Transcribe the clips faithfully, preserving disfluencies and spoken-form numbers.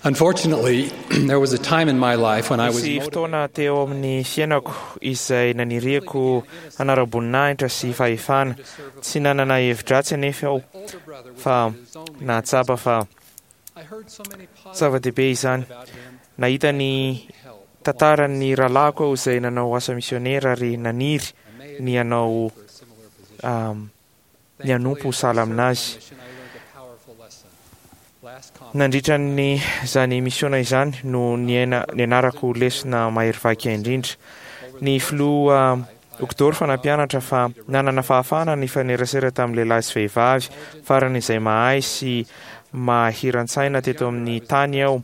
Unfortunately, there was a time in my life when I was Nisy fotoana teo amin'ny fiainako izay naniriako hanara-boninahitra sy fahefana. Tsy nanana hevi-dratsy anefa aho fa nahatsapa fa zava-dehibe izany. Nahita ny tantaran'ny rahalahiko aho izay nanao asa misionera ary naniry ny hanao um, ny hanompo sahala aminazy. Nandritra ny izany misiona izany no niaina nianarako lesona mahery vaika indrindra. Ny filoha Uchtdorf nampianatra fa nanana fahafahana nifanerasera tamin'ny lehilahy sy vehivavy farany izay mahay sy mahiran-tsaina teto amin'ny tany aho.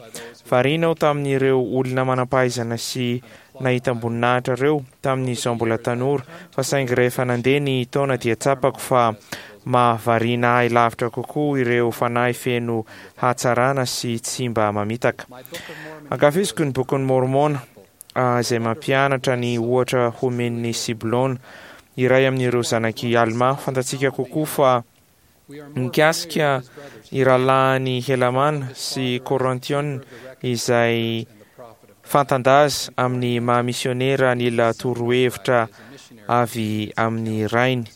Variana aho tamin'ireo olona manam-pahaizana sy nahitam-boninahitra ireo tamin'izaho mbola tanora, fa saingy rehefa nandeha ny taona dia tsapako fa mahavariana ahy lavitra kokoa ireo fanahy feno hatsarana sy tsy mba mamitaka. Ankafiziko ny bokin'ny Mormona izay mampianatra ny ohatra homen'ny Siblona, iray amin'ireo zanak'i Alma. Fantatsika kokoa fa mikasika ny rahalahiny Helamàna sy Korintiona izay fantan-daza amin'ny maha misionera nila torohevitra avy amin'ny rainy.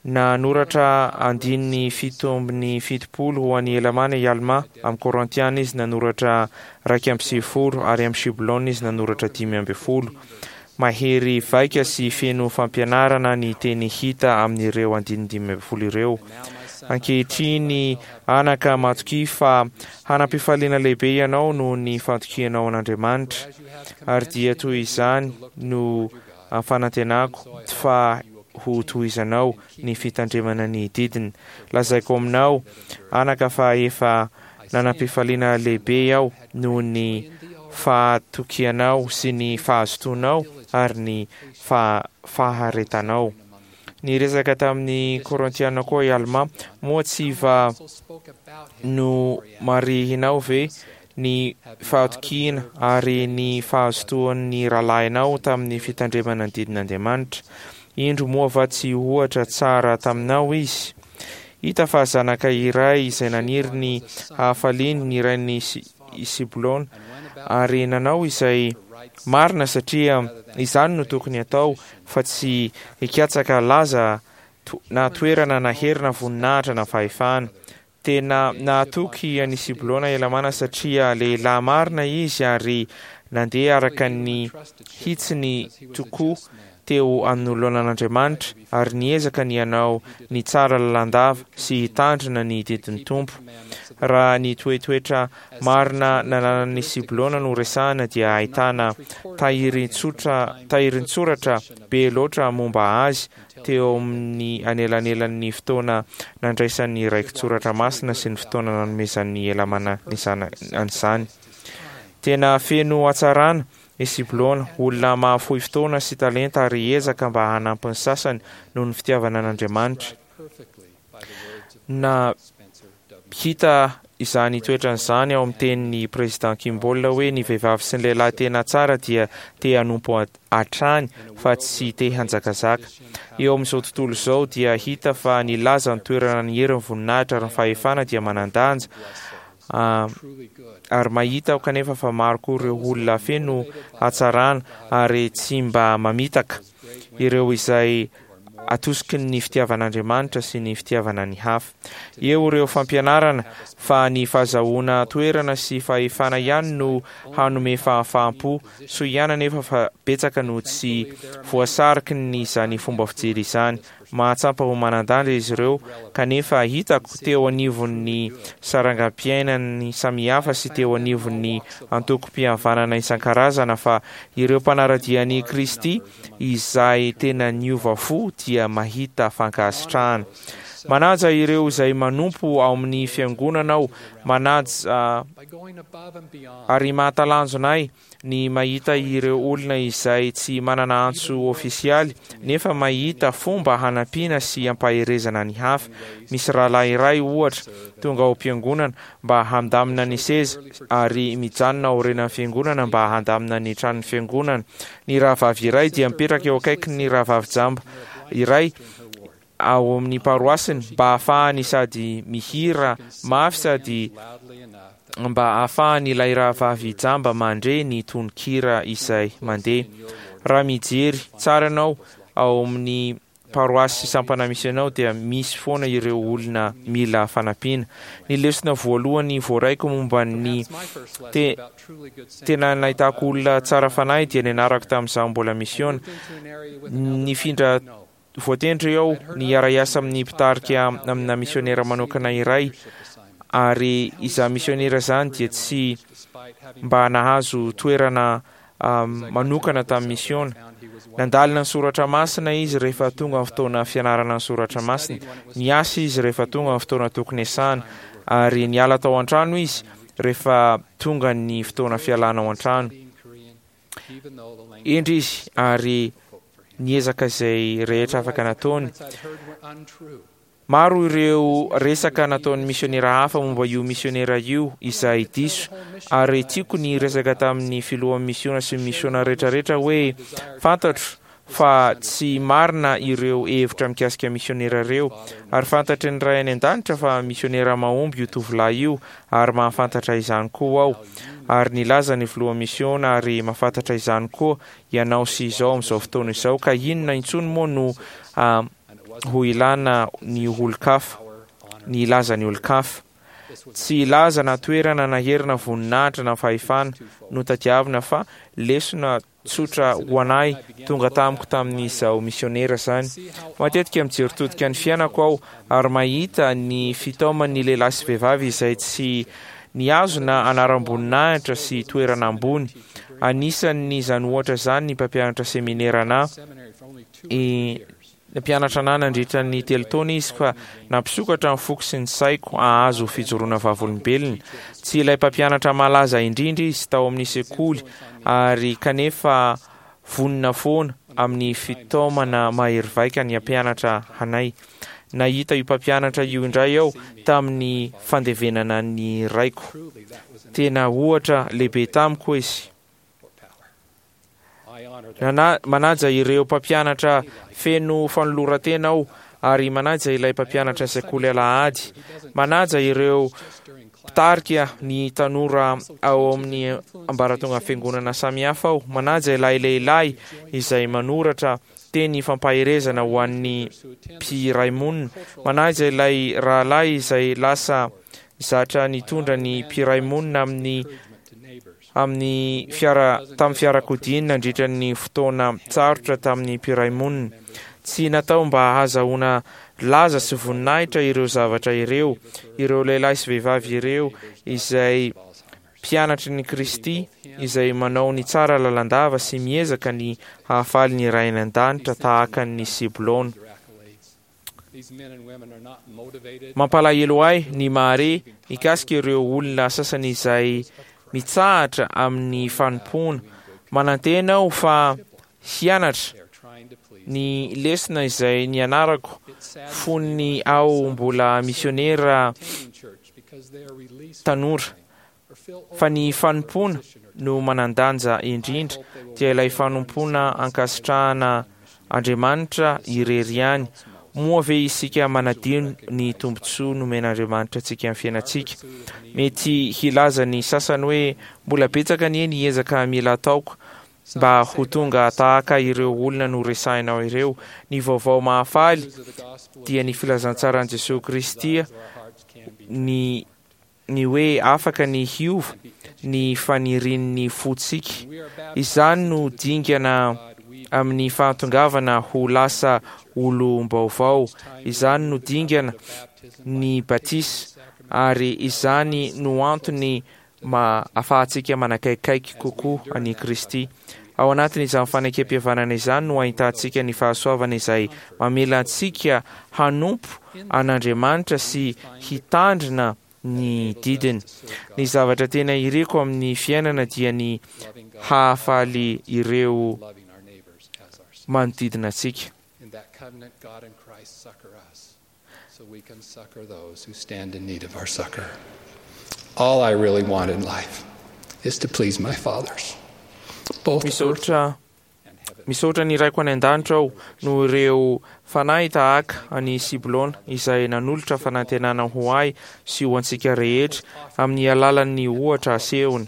Nanoratra andininy fito ambin'ny fitopolo ho an'i Helamàna i Almà, amin'ny Korintiana izy nanoratra iraika amby sivifolo ary amin'ny Shiblona izy nanoratra dimy ambin'ny folo. Mahery vaika sy feno fampianarana ny teny hita amin'ireo andininy dimy ambin'ny folo ireo. Ankehitriny anaka, matokia fa hanam-pifaliana lehibe ianao noho ny fatokianao an'Andriamanitra, ary dia toy izany no fanantenako fa ho tohizanao ny fitandremana ny didiny. Lazaiko aminao anaka fa efa nanam-pifaliana lehibe aho noho ny fahatokianao sy ny fahazotoanao ary ny faharetanao. Niresaka tamin'ny Korintiana koa i Almà, moa tsy va nomarihinao ve ny fahatokiana ary ny fahazotoan'ny rahalahinao tamin'ny fitandremana ny didin'Andriamanitra? Indro moa va tsy ohatra tsara taminao izy? Hita fa zanaka iray izay naniry ny hahafaliany ny rain'i Siblona ary nanao izay marina satria izany no tokony hatao fa tsy hikatsaka laza na toerana na hery na voninahitra na fahefana. Tena nahatoky an'i Siblona Helamàna satria lehilahy marina izy ary nandeha araka ny hitsiny tokoa teo anoloanan'Andriamanitra ary niezaka ny hanao ny tsara lalandava sy hitandrina ny didin'ny Tompo. Raha ny toetoetra marina nananan'i Siblona no resahana dia ahitana tahirin-tsotra tahirin-tsoratra be loatra momba azy teo amin'ny anelanelan'ny fotoana nandraisan'ny raki-tsoratra masina sy ny fotoana nanomezan'ny Helamàna an'izany. Tena feno hatsarana i Siblona, olona mahafoy fotoana sy talenta ary ezaka mba hanampy ny sasany noho ny fitiavana an'Andriamanitra. Na hita izany toetrany izany ao amin'ny tenin'ny Président Kimball hoe ny vehivavy sy ny lehilahy tena tsara dia te hanompo hatrany fa tsy te hanjakazaka. Eo amin'izao tontolo izao dia hita fa ny laza, ny toerana, ny hery, ny voninahitra ary ny fahefana dia manan-danja, ary mahita aho kanefa fa maro koa ireo olona feno hatsarana ary tsy mba mamitaka, ireo izay atosiky ny fitiavan'Andriamanitra sy ny fitiavana ny hafa. Eo ireo fampianarana fa ny fahazahoana toerana sy fahefana ihany no hanome fahafaham-po, soa ihany anefa fa betsaka no tsy voasariky ny izany fomba fijery izany. Mahatsapa ho manan-danja izy ireo, kanefa hitako teo anivon'ny sarangam-piainany samihafa sy teo anivon'ny antokom-pihavanana isan-karazana fa ireo mpanara-dia an'i Kristy izay tena niova fo dia mahita fankasitrahana. Manaja ireo izay manompo ao amin'ny fiangonana aho, manaja ary mahatalanjona ahy ny mahita ireo olona izay tsy manana antso ofisialy nefa mahita fomba hanampiana sy hampaherezana ny hafa. Misy rahalahy iray, ohatra, tonga ao am-piangonana mba handamina ny seza ary mijanona aorianan'ny fiangonana mba handamina ny tranon'ny fiangonana. Ny rahavavy iray dia mipetraka eo akaikin'ny rahavavy jamba iray ao amin'ny paroasiny mba hahafahany sady mihira mafy sady mba ahafahany ilay rahavavy jamba mandre ny tononkira izay mandeha. Raha mijery tsara ianao ao amin'ny paroasy sampana misy anao dia misy foana ireo olona mila fanampiana. Ny lesona voalohany voaraiko momba ny te, tena nahitako olona tsara fanahy dia nianarako tamin'izaho mbola misiona. Nifindra voatendry aho ny hiara-hiasa amin'ny mpitarika amina misionera manokana iray, ary izaho misionera izany dia tsy mba nahazo toerana um, manokana tamin'ny misiona. Nandalina ny soratra masina izy rehefa tonga ny fotoana fianarana ny soratra masina. Niasa izy rehefa tonga ny fotoana tokony hiasana, ary niala tao an-trano izy rehefa tonga ny fotoana fialana ao an-trano. Hendry izy ary niezaka izay rehetra afaka nataony. Maro ireo resaka nataon'ny misionera hafa momba io misionera io izay diso, ary tiako ny resaka tamin'ny filohan'ny misiona sy ny misiona rehetrarehetra hoe fantatro fa tsy marina ireo hevitra mikasika misionera ireo, ary fantatry ny Ray any an-danitra fa misionera mahomby io tovolahy io, ary mahafantatra izany koa aho. Ary nilaza ny filohan'ny misiona, ary mahafantatra izany koa ianao sy izao amin'izao fotoana izao, ka inona intsony moa no uh, ho ilana ny olon-kafa, ny ilaza ny olon-kafa. Tsy ilaza na toerana na hery na voninahitra na fahefana no tadiavina, fa lesona tsotra ho anay tonga tamiko tamin'izao misionera izany. Matetika mijery todika ny fiainako aho ary mahita ny fitaoman'ny lehilahy sy vehivavy izay tsy nihazona anaram-boninahitra sy toerana ambony. Anisan'izany ohatra izany ny mpampianatra seminera na nampianatra anahy nandritra ny telo taona izy, fa nampisokatra ny foko sy ny saiko hahazo fijoroana vavolombelona. Tsy ilay mpampianatra malaza indrindra izy tao amin'ny sekoly, ary kanefa vonona foana amin'ny fitaomana mahery vaika ny hampianatra anay. Nahita io mpampianatra io indray aho tamin'ny fandevenana ny raiko. Tena ohatra lehibe tamiko izy. Nana, manaja ireo mpampianatra feno fanoloran-tena aho, ary manaja ilay mpampianatra sekoly alahady. Manaja ireo mpitarika ny tanora ao amin'ny ambaratonga fiangonana samihafa aho. Manaja ilay lehilahy izay manoratra teny fampaherezana ho an'ny mpiray monina. Manaja ilay rahalahy izay lasa zatra nitondra ny mpiray monina amin'ny amin'ny fiara tamin'ny fiarakodia nandritra ny fotoana tsarotra tamin'ny mpiray monina. Tsy natao mba hahazahoana laza sy voninahitra ireo zavatra ireo. Ireo lehilahy sy vehivavy ireo izay mpianatry ny Kristy, izay manao ny tsara lalandava sy miezaka ny hahafaly ny Ray any an-danitra tahaka ny Siblona. Mampalahelo ahy ny mahare mikasika ireo olona sasany izay mitsahatra amin'ny fanompoana. Manantena aho fa hianatra ny lesona izay nianarako fony aho mbola misionera tanora, fa ny fanompoana no manan-danja indrindra, dia ilay fanompoana ankasitrahana Andriamanitra irery ihany. Moa ve isika manadino ny tombontsoa nomen'Andriamanitra antsika amin'ny fiainantsika? Mety hilaza ny sasany hoe mbola betsaka anie ny ezaka mila ataoko mba ho tonga tahaka ireo olona noresahinao ireo. Ny vaovao mahafaly dia ny filazantsaran'i Jesosy Kristy, ny ny hoe afaka ny hiova ny fanirian'ny fontsika. Izany no dingana amin'ny fahatongavana ho lasa olom-baovao. Izany no dingana ny batisa, ary izany no antony ma ahafahantsika manakaikaiky kokoa an'i Kristy. Ao anatin'izany fanekempihavanana izany no ahitantsika ny fahasoavana izay mamela antsika hanompo an'Andriamanitra sy hitandrina ny didiny. Ny zavatra tena iriko amin'ny fiainana dia ny hahafaly ireo manodidina antsika. In that covenant, God and Christ succor us, so we can succor those who stand in need of our succor. All I really want in life is to please my fathers, both earth Misaotra and heavenly. Misaotra ny Raiko any an-danitra aho noho ireo fanahy tahaka an'i Siblôna izay nanolotra fanantenana ho ahy sy ho antsika rehetra amin'ny alalan'ny ohatra asehony.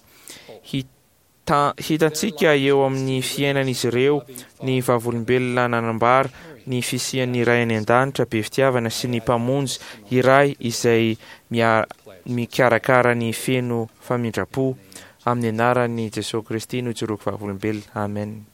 Hita- hitantsika eo amin'ny fiainan'izy ireo ny vavolombelona nanambara ny fisian'ny Ray any an-danitra be fitiavana sy ny Mpamonjy iray izay mia- mikarakara ny feno famindram-po. Amin'ny anaran'i Jesoa Kristy no ijoroako vavolombelona. Amen.